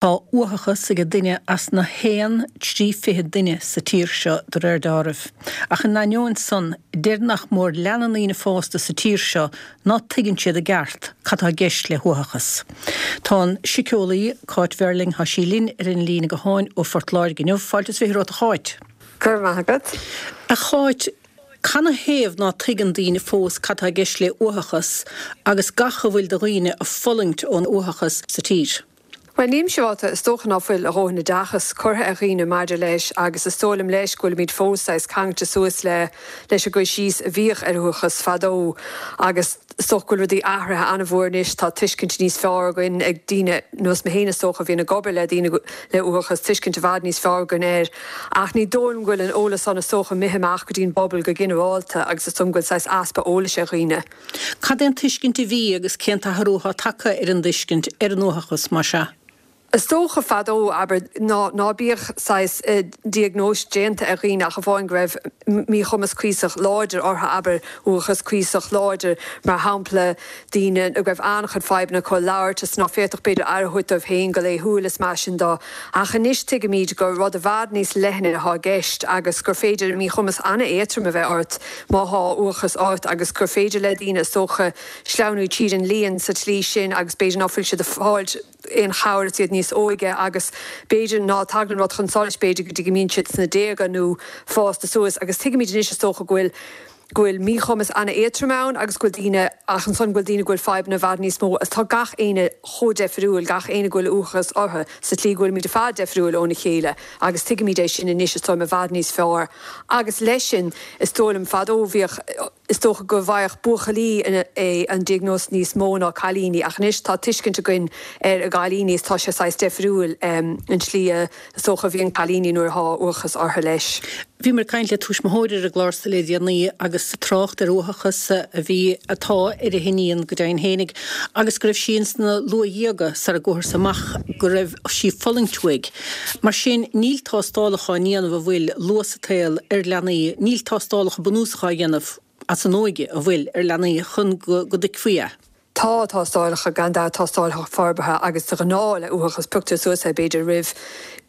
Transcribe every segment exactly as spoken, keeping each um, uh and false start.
Tá uathachas ag duine as na haon trí fiche duine sa tír seo de réir dealraimh. Ach in ainneoin san, deir nach mór leath na ndaoine fásta sa tír seo ná tuigeann siad i gceart cad tá i gceist le huathachas. Tá an síceolaí Cáit Verling tá sí linn ar an líne gutháin ó Phort Láirge inniu fáilte is fiche romhat a Cháit. Go raibh maith agat. A Cháit, canathaobh ná tuigeann daoine fós cad tá i gceist le uathachas agus gach a bhfuil de dhaoine ag fulaingt ón uathachas sa tír. Well nílim siúráilte is dócha ná fuil a dhóthain oideachas curtha ar dhaoine maidir leis agus is dóigh liom leis go bhfuilimid fós saghas ceangailte suas le leis an gcur síos a bhíodh ar uathachas fadó agus is dócha go bhfuil rudaí athraithe an-mhór anois tá tuiscint níos fearr againn ag daoine nós mé féin is dócha a bhíonn ag obair le daoine le uathachas tuiscint i bhfad níos fearr againn air ach ní dóigh liom go bhfuil an eolas an is dócha imithe amach go dtí an bpobal go ginearálta agus is dóigh liom go bhfuil saghas easpa eolais ar dhaoine. Cad é an tuiscint a bhí agus cén t-athrú atá tagtha ar an dtuiscint ar an uathachas mar seo? Is dócha fadó abair ná ná bíodh saghas diagnóis déanta ar dhaoine ach amháin go raibh míchumas cuíosach láidir orthu abair uathachas cuíosach láidir mar shampla daoine go raibh an-chuid fadhbanna acu labhairt is ná féadfadh b'fhéidir aire a thabhairt dóibh féin go laethúil is mar sin de ach anois tuigimid gur rud i bhfad níos leithne atá i gceist agus gur féidir míchumas an-éadrom a bheith ort má thá uathachas ort agus gur féidir le daoine is dócha sleamhnú tríd an líon sa tslí sin agus b'fhéidir ná fuil siad ag fáilt aon chabhair is iad níos óige agus b'fhéidir ná tagann rud chun solais b'fhéidir go dtí go mbíonn siad sna déaga nó fásta suas agus tuigimid anois is dócha go bhfuil go bhfuil míchumas an-éadrom ann agus go bhfuil daoine ach ansan go bhfuil daoine go bhfuil fadhbanna i bhfad níos mó agus tá gach éinne chomh difriúil gach éinne go bhfuil uathachas orthu sa tslí go bhfuilimid ar fad difriúil óna chéile agus tuigimid é sin anois is dóigh liom i bhfad níos fearr agus leis sin is dóigh liom fadó bhíodh is dócha go bhfaigheadh buachaillí é an diagnóis níos mó ná cailíní ach anois tá tuiscint againn ar a gcailíní is tá sé saghas difriúil um, an tslí is dócha bhíonn cailíní nuair atá uathachas orthu leis. Bhí mar caint le tuismitheoir ar an gclár le déanaí agus trácht ar uathachas a bhí atá ar a hiníon go deimhin fhéinig agus go raibh sí insna luathdhéaga sara bhfuarthas amach go raibh sí ag fulaingt uaidh. Mar sin níl tástálacha á ndéanamh a bhfuil luath sa tsaol ar leanaí, níl tástálacha bunúsacha á dhéanamh as an óige a bhfuil ar leanaí chun go dtuigfí é. Tá tástálacha gan dabht tástálacha forbartha agus de ghnáth le uathachas pioctar suas é b'fhéidir roimh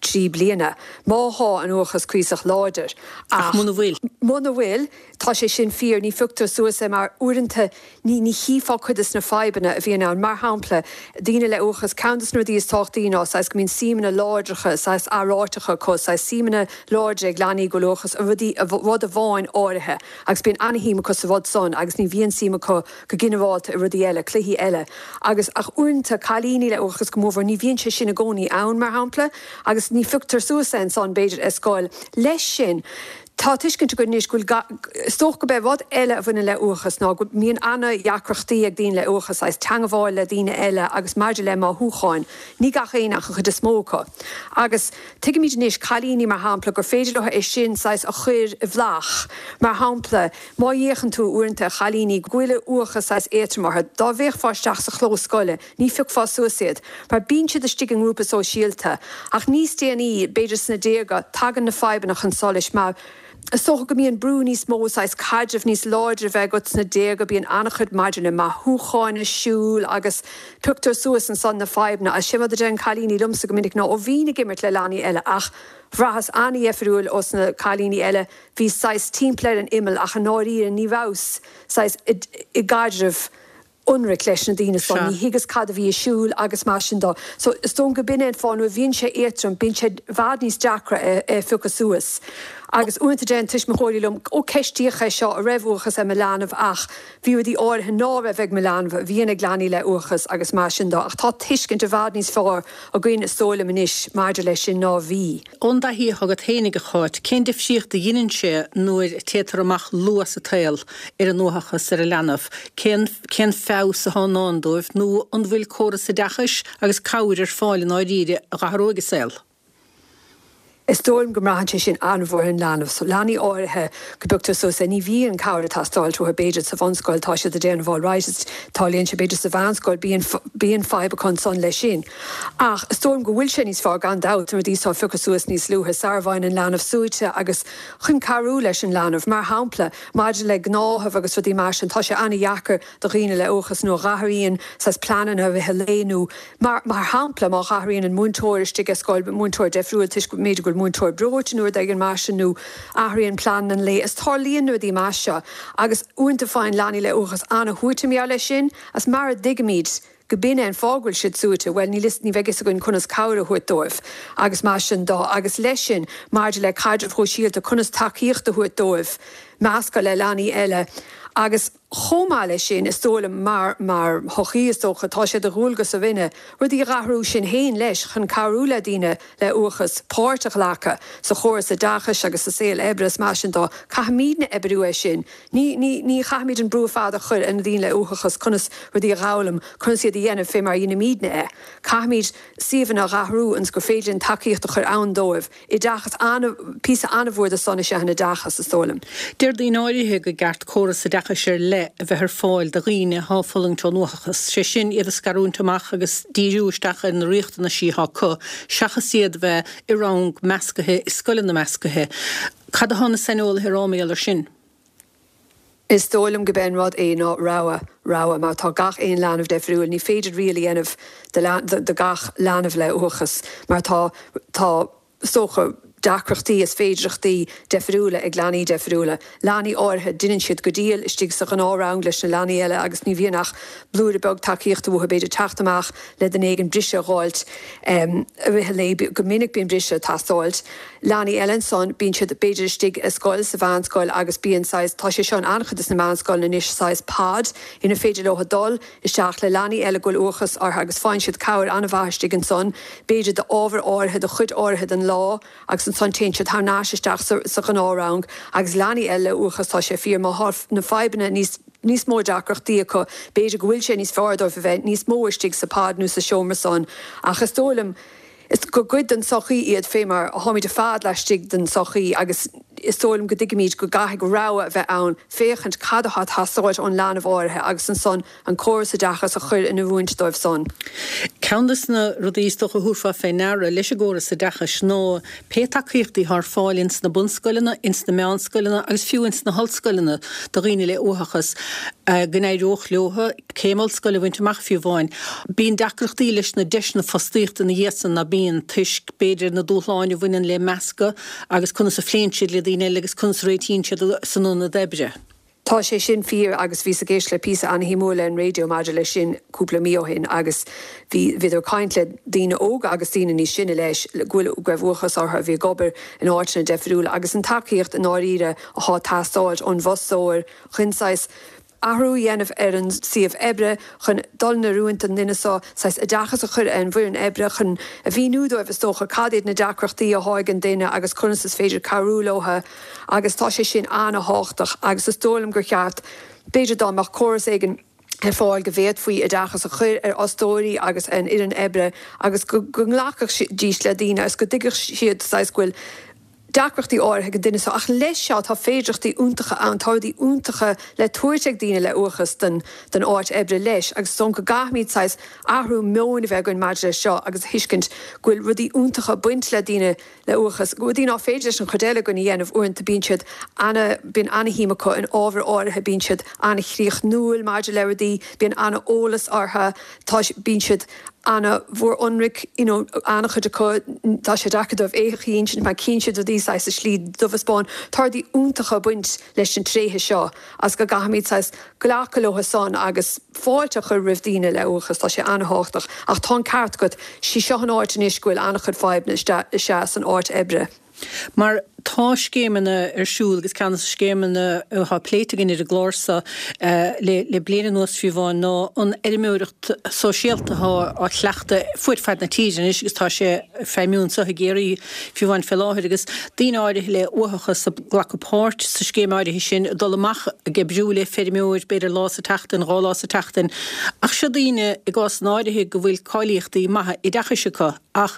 trí bliana. Má thá an uathachas cuíosach láidir ach muna bhfuil. Muna bhfuil tá sé sin fíor ní phioctar suas é mar uaireanta ní ní chífeá cuid de na fadhbanna a bhíonn ann mar shampla daoine le uathachas ceann de na rudaí is tábhachtaí ná saghas go mbíonn suimeanna láidreacha saghas aráiteacha acu saghas suimeanna láidre ag leanaí go bhfuil uathachas a rudaí rud amháin áirithe agus bíonn an-shuim acu sa rud san agus ní bhíonn suim acu go ginearálta i rudaí eile cluichí eile agus ach uaireanta cailíní le uathachas go mórmhór ní bhíonn sé sin i gcónaí ann mar shampla agus ní phioctar suas é ansan b'fhéidir ar scoil leis sin Tá tuiscint againn anois go bhfuil is dócha go b'é rud eile a bhaineann le uathachas ná go mbíonn an-deacrachtaí ag daoine le uathachas agus teagmháil le daoine eile agus maidir le mothúcháin, ní gach éinne ach an chuid is mó acu. Agus tuigimid anois cailíní mar shampla gur féidir leo é sin saghas a chur i bhflach. Mar shampla, má fhéachann tú uaireanta ar chailíní go bhfuil uathachas saghas éadrom orthu, dá bhféachfá isteach sa chlós scoile, ní phiocfá suas iad, mar bíonn siad istigh i ngrúpa sóisialta. Ach níos déanaí, b'fhéidir sna déaga, tagann na fadhbanna chun solais mar Is dócha go mbíonn brú níos mó saghas caidreamh níos láidre a bheith agat sna déaga bíonn an-chuid maidir le mothúcháin ar siúl agus pioctar suas ansan na fadhbanna agus sin rud a deireann cailíní liomsa go minic ná ó bhínn ag imirt le leanaí eile ach bhraitheas an-difriúil ós na cailíní eile bhí saghas timpeall ar an imeall ach i ndáiríre ní rabhas saghas i gcaidreamh ionraic leis na daoine san, ní thuigeas cad a bhí ar siúl agus mar sin de. So is dóigh liom go b'in é an fáth nuair a bhíonn sé éadrom bíonn sé i bhfad níos deacra é a phiocadh suas. Agus uaireanta deireann tuismitheoirí liom ó ceistíodh é seo an raibh uathachas ar mo leanbh ach bhí rudaí áirithe ná raibh ag mo leanbh a bhíonn ag leanaí le uathachas agus mar sin de. Ach tá tuiscint i bhfad níos fearr againn is dóigh liom anois maidir leis sin ná bhí. Ón dtaithí atá agat fhéinig a Cháit, cén difríocht a dheineann sé nuair a téitear amach luath sa tsaol ar an uathachas ar an leanbh? Cén cén feabhas atá i ndán dóibh nó an bhfuil córas oideachais agus cabhair ar fáil i ndáiríre a d'athródh a saol? Is dóigh liom go mbraitheann sé sin an-mhór ar an leanbh, so leanaí áirithe go bpioctar suas é, ní bhíonn cabhair ag teastáilt uathu b'fhéidir sa bhunscoil, tá siad ag déanamh alright, is tarlaíonn sé b'fhéidir sa mheánscoil, bíonn bíonn fadhb acu ansan leis sin. Ach is dóigh liom go bhfuil sé níos fearr gan dabht na rudaí seo a phiocadh suas níos luaithe, sara bhfaigheann an leanbh suaite agus chun cabhrú leis an leanbh. Mar shampla, maidir le gnáthaimh agus rudaí mar sin, tá sé an-dheacair do dhaoine le uathachas nuair a dh'athraíonn saghas pleananna i rith an lae nó mar mar shampla má dh'athraíonn an múinteoir istigh i scoil, múinteoir deifriúil toisc go mb'fhéidir go bhfuil múinteoir breoite nó rud éigin mar sin nó athraíonn plean an lae is tarlaíonn na rudaí mar seo agus uaireanta faigheann leanaí le uathachas an-shuaite mar gheall leis sin agus mara dtuigimid go b'in é an fáth go bhfuil siad suaite, bhuel níl fhios ní bheidh fhios againn conas cabhair a thabhairt dóibh agus mar sin dó agus leis sin maidir le caidrimh shóisialta conas tacaíocht a thabhairt dóibh meascadh le leanaí eile agus chomh maith leis sin is dóigh liom mar mar shochaí is dócha tá sé de dhualgas orainne rudaí a dh'athrú sinn féin leis chun cabhrú le daoine le uathachas páirt a ghlacadh sa chóras oideachais agus sa saol oibre is mar sin dó caithfimidne oibriú air sin ní ní ní chaithfimid an brú ar fad a chur ar na daoine le uathachas conas rudaí a dh'fhoghlaim conas iad a dhéanamh fé mar a dheinimidne é caithfimid suíomhanna a dh'athrú ionas gur féidir linn tacaíocht a chur ann dóibh oideachas ana píosa an-mhór de san is ea an oideachas is dóigh liom. Deir daoine áirithe go gceart córas oideachais ar leith a bheith ar fáil do dhaoine atá ag fulaingt ón uathachas, sé sin iad a scarúint amach agus díriú isteach ar na riachtanaisí atá acu, seachas iad a bheith i rang meascaithe i scoileanna meascaithe. Cad atá na saineolaithe a rá mar gheall air sin? Is dóigh liom go b'é an rud é ná rogha, rogha, mar tá gach aon leanbh deifriúil. Ní féidir riail a dhéanamh de, de gach leanbh le uathachas mar tá, tá, is dócha, deacrachtaí is féidireachtaí deifriúla ag leanaí deifriúla. Leanaí áirithe, deineann siad go diail istigh sa ghnáth-rang leis na leanaí eile agus ní bhíonn ach blúire beag tacaíochta uathu, b'fhéidir teacht amach le duine éigin briseadh a dh'fháilt i rith an lae, go minic bíonn briseadh ag teastáilt. Leanaí eile ansan, bíonn siad b'fhéidir istigh i scoil, sa mheánscoil agus bíonn saghas, tá sé seo in an-chuid de na meánscoileanna anois, saghas pod ina féidir leo dul isteach le leanaí eile go bhfuil uathachas orthu agus faigheann siad cabhair an-mhaith istigh ansan, b'fhéidir d'ábhar áirithe, do chuid áirithe den lá agus ansan téann siad thar n-ais isteach sa, sa ghnáthrang agus leanaí eile le uathachas, tá sé fíor, má thá na fadhbanna níos, níos mó deacrachtaí acu, b'fhéidir go bhfuil sé níos fearr dóibh a bheith níos mó istigh sa pod nó sa seomra san ach is dóigh liom, Is gur cuid den tsochaí iad fé mar a tháimid ar fad laistigh den tsochaí agus is dóigh liom go dtuigimid go gcaithfidh rogha a bheith ann féachaint cad atá ag teastáilt ón leanbh áirithe agus ansan an córas oideachais a chur in oiriúint dóibh san. Ceann de na rudaí is dócha a thabharfá fé ndeara leis an gcóras oideachais ná pé tacaíochtaí atá ar fáil ins na bunscoileanna, ins na meánscoileanna agus fiú ins na hollscoileanna do dhaoine le uathachas, go n-éireodh leo céim ollscoile a bhaint amach fiú amháin. Bíonn deacrachtaí leis na deiseanna fostaíochta ina dhiaidh san, ná bíonn, toisc, b'fhéidir, na dúshláin a bhaineann le meascadh agus conas a phléann siad le daoine eile agus conas a réitíonn siad san ionad oibre. Tá sé sin fíor agus bhíos ag éisteacht le píosa an-shuimiúil ar an raidió maidir leis sin cúpla mí ó shin agus bhí, bhíodar ag caint le daoine óga agus daoine níos sine leis go bhfuil, go raibh uathachas orthu a bhí ag obair in áiteanna deifriúla agus an tacaíocht i ndáiríre athá ag teastáilt ón bhfostóir chun saghas athrú a dhéanamh ar an suíomh oibre chun dul in oiriúint don duine seo, saghas oideachas a chur ar an bhfoireann oibre chun a mhíniú dóibh is dócha cad iad na deacrachtaí athá ag an duine agus conas is féidir cabhrú leo agus tá sé sin an-thábhachtach agus is dóigh liom gur cheart b'fhéidir dá mbeadh córas éigin ar fáil go bhféadfaí oideachas a chur ar fhostóirí agus ar an fhoireann oibre agus go nglacfaidís le daoine agus go dtuigfeadh siad saghas go bhfuil deacrachtaí áirithe ag an duine seo ach leis seo tá féidearthachtaí iontacha ann, tá rudaí iontacha le tabhairt ag daoine le uathachas don don áit oibre leis agus is dóigh liom go gcaithfimid saghas athrú meoin a bheith againn maidir leis seo agus a thuiscint go bhfuil rudaí iontacha ag baint le daoine le uathachas, rudaí ná féidir leis an chuid eile againn a dhéanamh uaireanta bíonn siad ana bíonn ana-shuim acu in ábhair áirithe, bíonn siad ana-chríochnúil maidir le rudaí, bíonn ana-eolas orthu, tá bíonn siad ana-mhór ionraic, you know, an-chuid acu, tá sé deacair dóibh éitheach a insint mar chíonn siad rudaí saghas i slí dubh is bán. Tá rudaí iontacha ag baint leis na tréithe seo agus go gcaithfimid saghas glacadh leo san agus fáilte a chur roimh daoine le uathachas, tá sé ana-thábhachtach. Ach tá an ceart agat, sí seo an áit anois go bhfuil an-chuid fadhbanna is ea san áit oibre. Mar Tá scéimeanna ar siúl agus ceann de na scéimeanna atá pléite againn ar an gclár seo le le bliain anuas fiú amháin ná an fheirmeoireacht sóisialta atá á cleachtadh fuaid fad na tíre anois agus tá sé ag feidhmiú anseo i gCiarraí fiú amháin fé láthair agus daoine áirithe le uathachas ag glacadh páirt sa scéim áirithe sin ag dul amach ag oibriú le feirmeoir b'fhéidir lá sa tseachtain, dhá lá sa tseachtain ach seo daoine i gcásanna áirithe go bhfuil cáilíochtaí maithe oideachais acu ach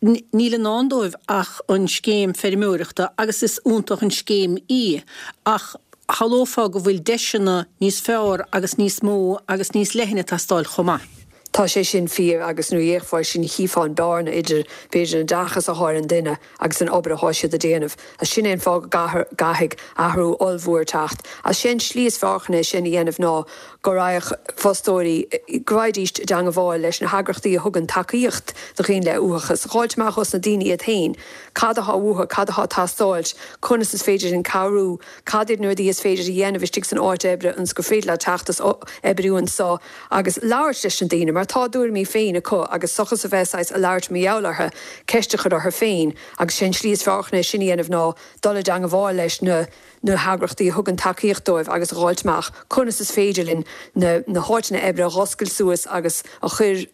níl i ndán dóibh ach an scéim feirmeoireachta agus is iontach an scéim í ach shamhlófá go bhfuil deiseanna níos fearr agus níos mó agus níos leithne ag teastáil chomh maith. Tá sé sin fíor agus nuair a fhéachfá sin chífeá an bearna idir b'fhéidir an oideachas atá ar an duine agus an obair atá siad a déanamh. Agus sin é an fáth go gcaithfidh athrú ollmhór teacht. Agus sé an slí is fearr chun é sin a dhéanamh ná go raghadh fostóirí, go raghaidís i dteangabháil leis na heagrachtaí a thugann tacaíocht do dhaoine le uathachas, a dh'fháilt amach ós na daoine iad féin cad atá uathu, cad atá ag teastáilt, conas is féidir linn cabhrú, cad iad na rudaí is féidir a dhéanamh istigh san áit oibre ionas gur féidir leat teacht is oibriú anso agus labhairt leis na daoine mar tá a dtuairimí féin acu agus seachas a bheith saghas a labhairt mar gheall orthu, ceist a chur orthu féin agus sé an slí is fearr chun é sin a dhéanamh ná dul i dteangabháil leis na na heagrachtaí a thugann tacaíocht dóibh agus a dh'fháilt amach conas is féidir linn na na háiteanna oibre a dh'oscailt suas agus a chur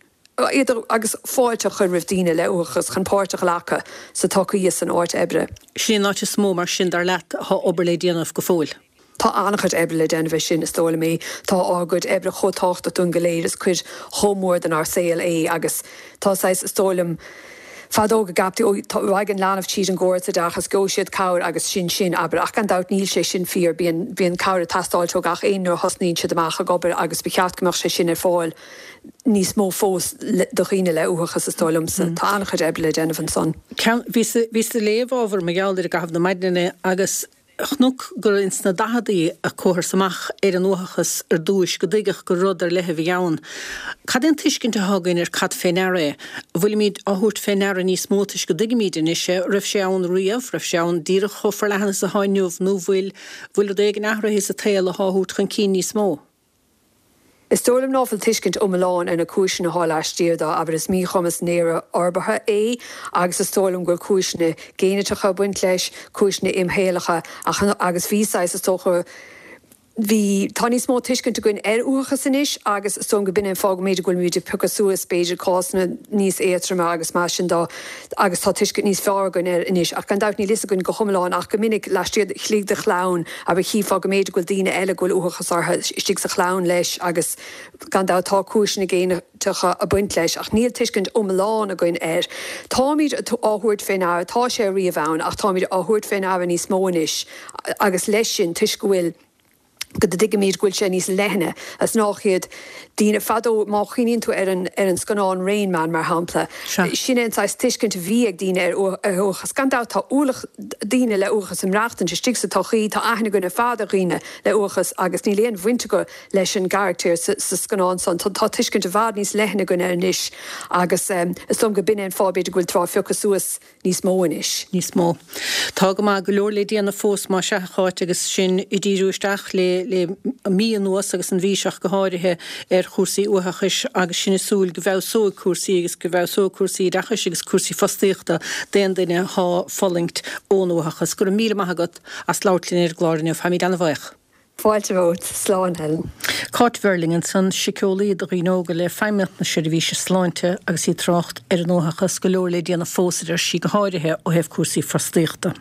iad agus fáilte a chur roimh daoine le uathachas chun páirt a ghlacadh sa tsochaí is san áit oibre. Sin an áit is mó mar sin dar leat atá obair le déanamh go fóill? Tá an-chuid oibre le déanamh é sin, is dóigh liom é. Tá ár gcuid oibre chomh tábhachtach dúinn go léir, is cuid chomh mór denár saol é agus tá saghas, is dóigh liom, fadó go gceaptaí, ó, tá, raghaidh an leanbh tríd an gcóras oideachais, gheobhaidh siad cabhair agus sin sin, abair. Ach gan dabht níl sé sin fíor, bíonn, bíonn cabhair ag teastáilt ó gach aon nuair a thosnaíonn siad amach ag obair agus ba cheart go mbeadh sé sin ar fáil níos mó fós do dhaoine le uathachas, is dóigh liomsa. Tá an-chuid oibre le déanamh ansan. Ceann, bhíos, bhíos ag léamh ábhar mar gheall air i gcaitheamh na maidine agus Chonac gur ins na daicheadaí a cuathas amach ar an uathachas ar dtúis, go dtuigeadh gur rud ar leith a bhí ann. Cad é an tuiscint atá againn ar cad fé ndeara é? An bhfuilimid á thabhairt fé ndeara níos mó toisc go dtuigimid anois é? Raibh sé ann riamh? Raibh sé ann díreach chomh forleathan is atá inniu nó bhfuil bhfuil rud éigin athraithe sa tsaol atá á thabhairt chun cinn níos mó? Is dóigh liom ná fuil tuiscint iomlán ar na cúiseanna atá laistiar de, abair is míchumas néarfhorbartha é agus is dóigh liom go bhfuil cúiseanna géiniteacha ag baint leis, cúiseanna imshaolacha ach agus bhí saghas is dócha bhí, tá níos mó tuiscint againn ar uathachas anois agus is dóigh liom go b'in é an fáth go mb'fhéidir go bhfuilimid ag piocadh suas b'fhéidir cásanna níos éadtroime agus mar sin de agus tá tuiscint níos fearr againn air anois ach gan dabht níl fhios againn go hiomlán ach go minic laistiar istigh de chlann abair chífeá go mb'fhéidir go bhfuil daoine eile go bhfuil uathachas orthu istigh sa chlann leis agus gan dabht tá cúiseanna géiniteacha ag baint leis ach níl tuiscint iomlán againn air. Táimid á thabhairt fé ndeara, tá sé riamh ann ach táimid á thabhairt fé ndeara níos mó anois agus leis sin toisc go bhfuil go dtuigimid go bhfuil sé níos leithne is nách iad daoine fadó, má chuimhníonn tú ar an ar an scannán Rain Man mar shampla, sin é an saghas tuiscint a bhí ag daoine ar uathachas. Gan dabht tá ualach daoine le uathachas ag maireachtaint istigh sa tsochaí, tá aithne againn ar fad ar dhaoine le uathachas agus níl aon bhaint acu leis an gcarachtar sa scannán san. Tá tuiscint i bhfad níos leithne againn air anois agus is dóigh liom go b'in é an fáth b'fhéidir go bhfuil á phiocadh suas níos mó anois. Níos mó. Tá go maith, go leor le déanamh fós más ea, a Cháit, agus sinn ag díriú isteach le le mí anuas agus an mhí seo ach go háirithe ar chúrsaí uathachais agus sinn ag súil go bhfeabhsóidh cúrsaí agus go bhfeabhsóidh cúrsaí oideachais agus cúrsaí fostaíochta d'aon duine atá ag fulaingt ón uathachas. Go raibh míle maith agat as labhairt linn ar an gclár inniu. Táimid ana-bhuíoch. Fáilte romhat. Slán, Helen. Cáit Verling ansan, síceolaí do dhaoine óga le Feidhmeannacht na Seirbhíse Sláinte agus í ag trácht ar an uathachas, go leor le déanamh fós a deir sí, go háirithe ó thaobh cúrsaí fostaíochta.